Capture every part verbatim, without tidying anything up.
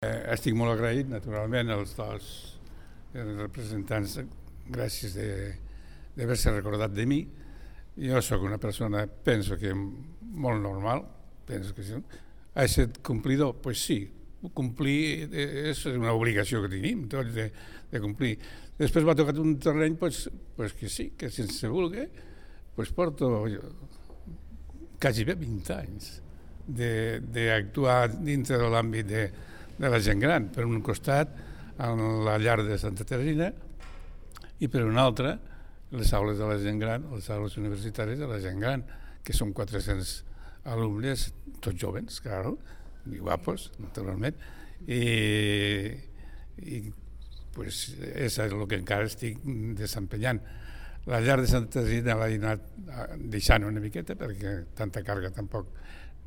Eh, estic molt agraït, naturalment, als dos representants, gràcies d'haver-se recordat de mi. Jo sóc una persona, penso que molt normal, penso que sí. Ha estat complidor? Doncs pues sí, complir és una obligació que tenim tots de, de complir. Després m'ha tocat un terreny pues, pues que sí, que sense voler pues porto quasi bé vint anys d'actuar dintre de l'àmbit de, de la gent gran. Per un costat, en la llar de Santa Teresina, i per un altre, les aules de la gent gran, les aules universitàries de la gent gran, que són quatre-cents alumnes, tots joves, claro, i guapos, naturalment, i, i pues, és el que encara estic desempenyant. La llar de Santa Teresina l'he anat deixant una miqueta, perquè tanta càrrega tampoc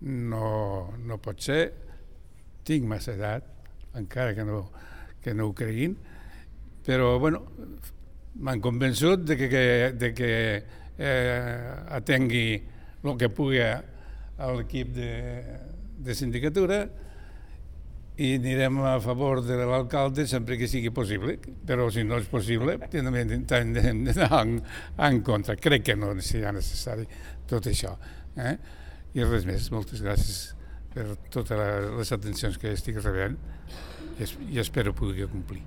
no, no pot ser. Tinc massa edat, encara que no, que no ho creguin, però bueno, m'han convençut de que, que, de que eh, atengui el que pugui a l'equip de, de sindicatura i anirem a favor de l'alcalde sempre que sigui possible, però si no és possible també hem d'anar en, en contra. Crec que no serà necessari tot això. Eh? I res més, moltes gràcies per totes les atencions que estic rebent i espero poder complir.